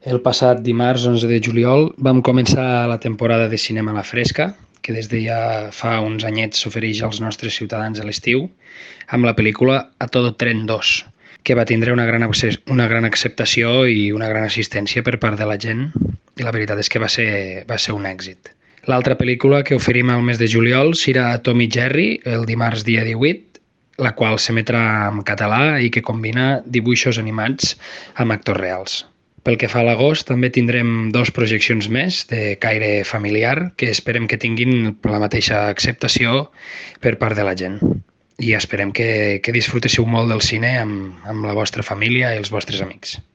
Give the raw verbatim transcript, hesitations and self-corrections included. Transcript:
El passat dimarts onze de juliol vam començar la temporada de Cinema a la Fresca, que des de ja fa uns anyets s'ofereix als nostres ciutadans a l'estiu, amb la pel·lícula A Todo Tren dos, que va tindre una gran, una gran acceptació i una gran assistència per part de la gent, i la veritat és que va ser, va ser un èxit. L'altra pel·lícula que oferim al mes de juliol serà Tom i Jerry, el dimarts dia divuit, la qual s'emetrà en català i que combina dibuixos animats amb actors reals. Pel que fa a l'agost, també tindrem dos projeccions més de caire familiar que esperem que tinguin la mateixa acceptació per part de la gent. I esperem que, que disfruteu molt del cine amb, amb la vostra família i els vostres amics.